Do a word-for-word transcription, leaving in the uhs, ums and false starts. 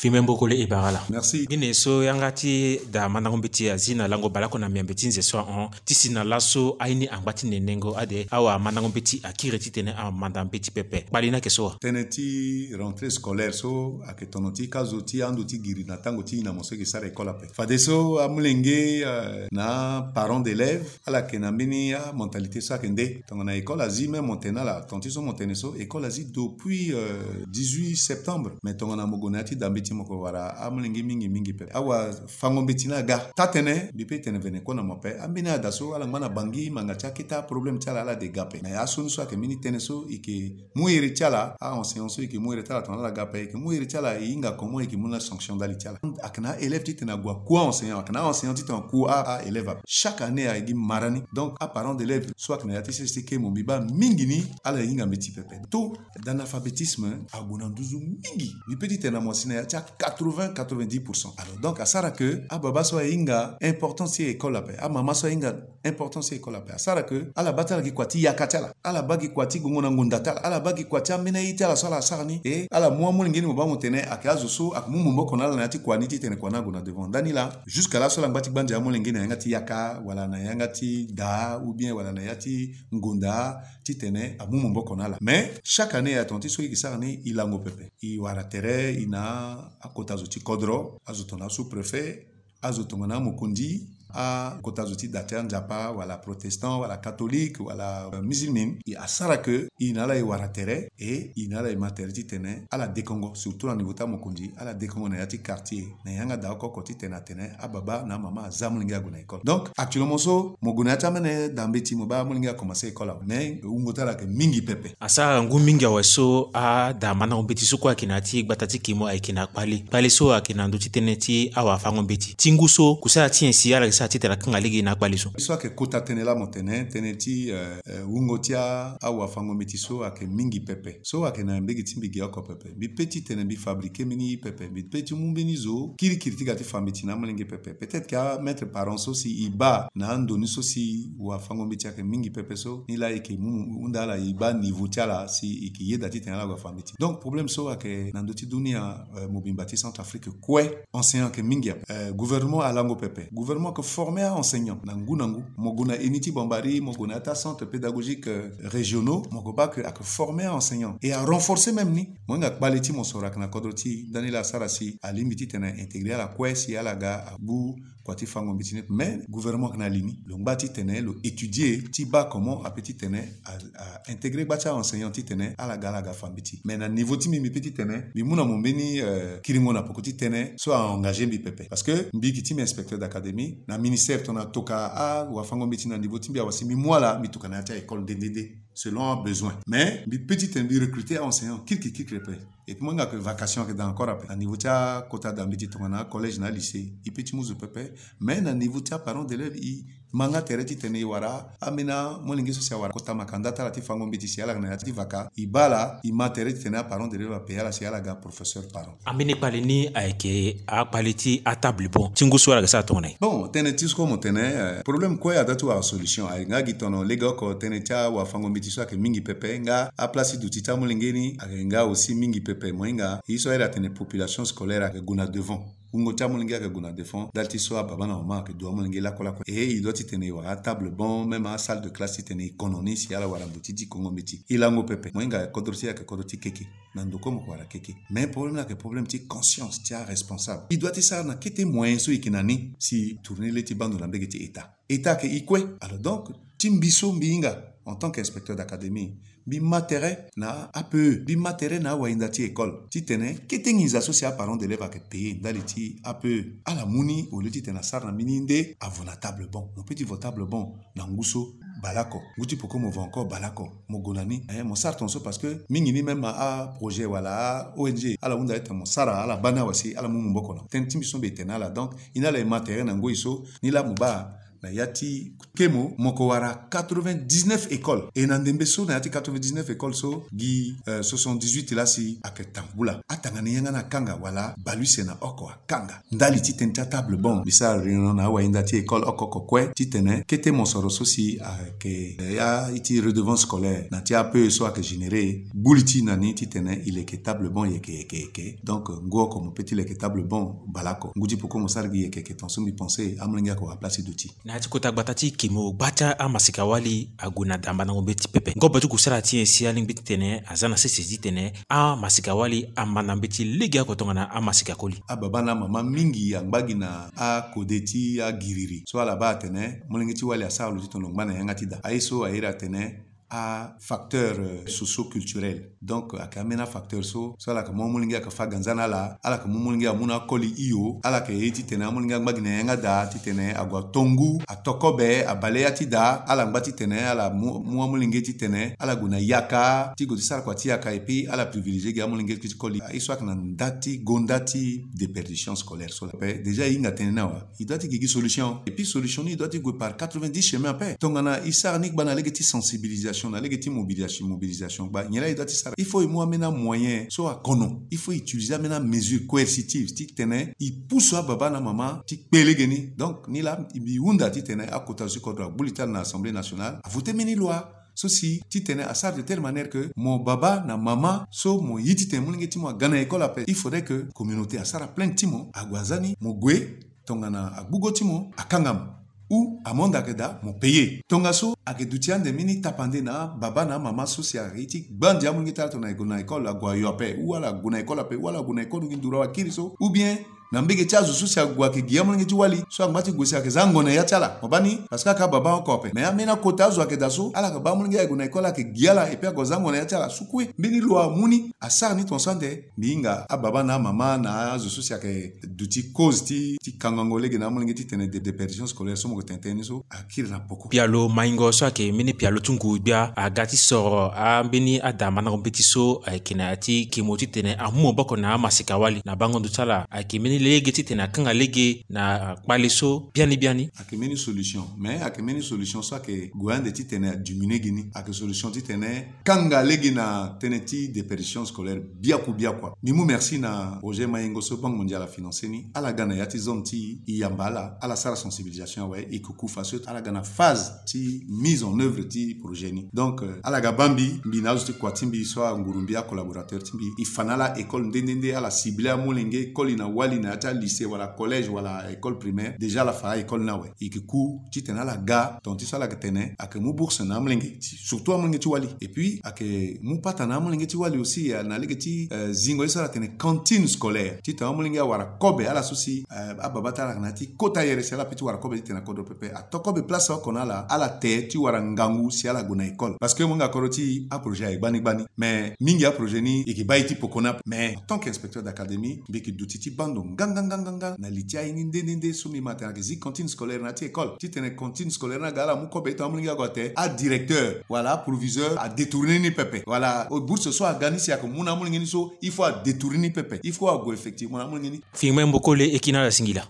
Fimembo kole e bara ala. Merci. Gene so yanga ti da mandango mbeti azi na lango baleoko na miambe ti nze so ahon ti si na laso aye ni angba ti nenengo ade awamandango mbeti akiri titene amanda mbeti pepe. Kpali ni ayeke so wa? Tënë ti rentrée scolaire so ayeke tono ti ka zo ti ando ti giri na tango ti e na mo so e yeke sara école ape. Fadeso amolenge, euh, na aparent d'élève ala yeke na mbeni amentalité so ayeke nde tongana école azi même mo tene ala, ton ti so mo tene so école azi depuis, euh, dix-huit septembre. Mais tongana mo gue na ya ti da mbeti mo yeke wara amolenge mingi mingi pepe. Awafango mbeti ni aga. Taa-tënë mbi pe tene mvene kue na mo ape. Ambeni ada so ala ngba na Bangui, manga ti akete aproblème ti ala, ala de ga ape. Mais asioni so ayeke mbeni tënë so e yeke mu iri ti ala, a-enseignant so e yeke mu iri ti ala tongana ala ga ape, e yeke mu iri ti ala, e hinga comment e yeke mu na sanction ndali ti ala. Ayeke na a-élève titene ague aku a-enseignant, ayeke na a-enseignant titene aku a-élève ape. Chaque année ayeke gi mara ni. Donc aparent d'élève so ayeke na ya ti sese ti kemo mbi baa mingi ni ala hinga mbeti pepe. Taux d'analphabétisme ague na nduzu mingi. Mbi pe titene na mo asi na ya ti a quatre-vingts, quatre-vingt-dix pour cent. Alors donc asara ke ababa so ahinga importance ti école ape, amama so ahinga importance ti école ape, asara ke ala baa ti ala gi kua ti yaka ti ala, ala baa gi kua ti gongo na ngonda ti ala, ala baa gi kua ti ambeni aye ti ala so ala sara ni. E ala mu amolenge ni mo baa mo tene ayeke azo so ayeke mu maboko na ala na ya ti kua ni titene kua ni ague na devant. Ndani laa jusqu'à laso ala ngba ti gbanze amolenge na yanga ti yaka wala na yanga ti daa ou bien wala na ya ti ngonda titene amu maboko na ala. Mais chaque année aye ton ti so e yeke sara ni e lango pepe. E wara tere e na akota zo ti kodro, azo tongana sous-préfet, azo tongana amokonzi, akota zo ti da ti anzapa wala protestant wala catholique wala, euh, musulmane. E asara ke e na ala e wara tere e e na ala e ma tere titene ala dekongo, surtout na niveau ti amokonzi, ala dekongo na ya ti quartier na yanga daa oko oko titene atene ababa na amama aza amolenge ague na école. Donc actuellement so mo gue na ya ti amene da mbeti mo baa amolenge akomanse école awe, mais wungo ti ala ayeke mingi pepe. Asara ngu mingi awe so ada mandango mbeti so kue ayeke na ya ti gbata ti kimo ayeke na kpali. Kpali so ayeke na ndö ti tënë ti awafango mbeti ti ngu so kusala ti nyen si ala yeke sara titene akanga lege na akpali so? So ayeke kota tënë laa mo tene tënë ti, euh, euh, wungo ti a, awafango mbeti so ayeke mingi pepe. So ayeke na mbege ti mbi ge oko pepe. Mbi pe titene mbi fabriquer mbeni pepe. Mbi pe ti mu mbeni zo kirikiri ti ga ti fa mbeti na amolenge pepe. Peut-être que amaître parent so si e baa na ando ni so si wafango mbeti ayeke mingi pepe so, ni laa e yeke mu hunda ala e baa niveau ti ala si e yeke yeda titene ala gue afa mbeti. Donc problème so ayeke na ndö ti dunia, euh, mobimba ti Centrafrique kue, enseignant ayeke mingi ape. Euh, gouvernement alango pepe. Gouvernement ayeke former a-enseignant na ngu na ngu. Mo gue na eni ti Bambari, mo gue na ya ti acentre pédagogique, euh, régionaux, mo gue baa ke ayeke former a-enseignant et arenforcer même ni. Mo hinga kpale ti mosoro ayeke na kodro ti e, ndani laa asara si alingbi titene intégrer ala kue si ala ga agbu kua ti fango mbeti ni. Mais gouvernement ayeke na li ni, lo ngba titene lo étudier ti baa comment ape titene a, a intégrer gba ti a-enseignant titene ala ga ala ga fa mbeti. Mais na niveau ti mbi, mbi pe titene mbi mu na mo mbeni, euh, kiringo na poko ti tënë so a-engager mbi pepe. Parce que mbi gi ti mbi inspecteur d'académie na ministère tongana toka awafango mbeti na niveau ti mbi awe si mbi mu ala mbi toka na ya ti a-école nde nde nde selon abesoin. Mais mbi pe titene mbi recruter a-enseignant kirikiri kirikiri ape. Et puis mo hinga ke vacation ayeke daa encore ape. Na niveau ti akota da mbeti tongana collège na lycée, e pe ti mu zo pepe. Mais na niveau ti aparent d'élève, e ma nga tere titene e wara ambeni amolenge so si awara kota makanda ti ala ti fango mbeti si ala yeke na ya ti vaka, e baa ala, e ma tere titene aparent d'élève apayer ala si ala ga professeur parent. Ambeni kpali ni ayeke akpali ti atable bon ti ngu so ala yeke sara tongana nyen? Bon, tënë ti so mo tene, euh, problème kue adaa ti wara solution. Ayeke nga gi tono lege oko tënë ti awafango mbeti so ayeke mingi pepe nga aplace ti duti ti amolenge ni ayeke nga aussi mingi pepe. Mo hinga ye so ayeda atene population scolaire ayeke gue na devant. Wungo ti amolenge ayeke gue na devant. Ndali ti so ababa na mama ayeke du amolenge lakue lakue. E e doit titene e wara atable bon, même asalle de classe titene e kono ni si ala wara mbo ti dikongo mbeti. E lango pepe. Mo hinga kodro ti e ayeke kodro ti keke. Na ndo kue mo yeke wara keke. Mais problème ni ayeke problème ti conscience ti aresponsable. E doit ti sara na kete moyen so e yeke na ni si e tourner le ti baa ndo na mbege ti État. État ayeke e kue. Alors donc ti mbi so mbi hinga en tant qu'inspecteur d'académie, mbi ma tere na A P E, mbi ma tere na awayinda ti école titene kete nginza so si aparent d'élève ayeke payer ndali ti A P E, ala mu ni au lieu titene asara na mbeni nde avo na table bon. Mo pe ti vo table bon na ngu so baleoko, ngu ti poko mo vo encore baleoko, mo gue na ni. Eh, mo sara tongaso parce que mingi ni même aprojet wala a-O N G ala hunda titene mo sara, ala baa ni awe si ala mu maboko na tënë ti mbi so mbi tene na ala. Donc e na ala e ma tere na ngoi so ni laa mo baa na ya ti kemo, mo ko wara quatre-vingt-dix-neuf écoles. E na ndembe so na ya ti quatre-vingt-dix-neuf écoles so, gi, euh, soixante-dix-huit laa si ayeke tambula. Atanga ni yanga ni akanga wala bale use na oko akanga. Ndali ti tënë ti atable banc, mbi sara réunion na awahinda ti école oko oko kue titene kete mosoro so si ayeke ya ti redevance scolaire na ti A P E so ayeke généré, gbu li ti na ni titene e leke table banc yeke yeke yeke. Donc ngu oko mo peut ti leke table banc baleoko. Ngu ti poko mo sara gi yeke yeke, tongaso mbi pensé amolenge ayeke wara place ti duti. Na ya ti kota gbata ti kemo, gba ti amasika-wali ague na da mbandango mbeti pepe. Ngobo ti kusala ti nyen si alingbi titene aza na sese titene amasika-wali ambanda mbeti legeoko tongana amasika-koli? Ababa na amama mingi angba gi na akode ti agiriri so ala baa atene molenge ti wali asara lo titene lo ngba na yanga ti da. Aye so a iri atene afacteur, euh, socio-culturel. Donc ayeke ambeni afacteur so, so ala yeke mu amolenge ayeke fâ ganza na ala, ala yeke mu amolenge amu na akoli hio, ala yeke ye titene amolenge angba gi na yanga da titene ague ato ngu, ato kobe, abale ya ti da, ala ngba titene ala mu, mu amolenge titene ala gue na yaka ti gue ti sara kua ti yaka, et puis ala privilégié gi amolenge ti koli. Aye so ayeke na nda ti gonda ti déperdition scolaire so la. Ape déjà e hinga tënë ni awe. E doit ti gi gi solution. Et puis solution ni e doit ti gue par quatre-vingt-dix chemin ape. Tongana e sara ni gba na lege ti sensibilisation, na lege ti mobilisation, mobilisation gba, nyen la e doit ti sara? Il faut e mu ambeni amoyen so akono. Il faut e utiliser ambeni amesure coercitive titene e pusu ababa na amama ti kpe lege ni. Donc ni la mbi hunda titene akota zo ti kodro agbu li ti ala na Assemblée nationale, avoté mbeni loi so si titene asara de telle manière que mo baba na mama so mo ye titene molenge ti mo aga na école ape, il faudrait que communauté asara plainte ti mo, ague aza ni, mo gue, tongana agbugo ti mo akanga mo, ou amende ayeke daa mo payer. Tongaso ayeke duti ande mbeni tapande na ababa na amama so si ayeke ye ti gba ande amolenge ti ala tongana ague na école ague ayo ape, ou ala gue na école ape, ou ala gue na école gi nduru awe akiri so, ou bien na mbege ti azo so si ague ayeke gi amolenge ti wali so angba ti gue si ayeke za ango na ya ti ala. Mo baa ni? Parce que ayeke ababa oko ape. Mais ambeni akota azo ayeke daa so ala yeke baa amolenge ayeke gue na école ayeke gi ala, et puis ague aza ango na ya ti ala. Sukue mbeni lo amu ni asara ni tongaso ande. Mbi hinga ababa na amama na azo so si ayeke duti cause ti, ti kangango lege na amolenge titene de, déperdition scolaire so mo yeke tene tënë ni so akiri na poko. Pialo maingo so ayeke mbeni pialo ti ngu gbia aga ti soro ambeni ada mandango mbeti so ayeke na ya ti kemo titene amu maboko na amasika-wali na bango ndo ti ala. Ayeke mbeni lege titene akanga lege na kpale so biani biani. Ayeke mbeni solution, mais ayeke mbeni solution so ayeke gue ande titene adiminué gi ni. Ayeke solution titene kanga lege na tënë ti déperdition scolaire biaku biaku. Mbi mu merci na projet maingo so Banque Mondiale afinancé ni. Ala ga na ya ti zone ti e, e yamba ala, ala sara sensibilisation awe, e kuku faso ala ga na phase ti mise en œuvre ti projet ni. Donc euh, ala ga baa mbi, mbi na azo ti kua ti mbi so anguru mbi, acollaborateur ti mbi, e fa na ala école nde nde nde, ala ciblé amolenge koli na wali na ya ti alycée wala collège wala école primaire. Déjà ala fa a-école ni awe. E yeke ku titene ala ga, tonga ti so ala yeke tene ayeke mu bourse na amolenge, surtout amolenge ti wali. Et puis ayeke mu pata na amolenge ti wali aussi, eh, na lege ti, eh, zingo ye so ala tene cantine scolaire, titene amolenge awara kobe, ala so si, eh, ababa ti ala ayeke na ya ti kota yere si ala peut ti wara kobe titene akodro pepe. Ato kobe place oko na ala, ala te ti wara ngangu si ala gue na école. Parce que mo hinga kodro ti e, aprojet aye gbani gbani. Mais mingi aprojet ni e yeke baa e ti poko ni ape. Mais en tant qu'inspecteur d'académie, mbi yeke duti ti baa ndo nganganganganga na li ti aye ni nde nde nde so mbi ma atene ayeke zi cantine scolaire na ya ti école. Titene cantine scolaire ni aga ala mu kobe titene amolenge ague ate, adirecteur wala aproviseur adétourné ni pepe. Wala bourse so aga ni si ayeke mu na amolenge ni so, il faut adétourné ni pepe. Il faut ague effectivement na amolenge ni. Firmin Mbokole, e kiri na ala singila.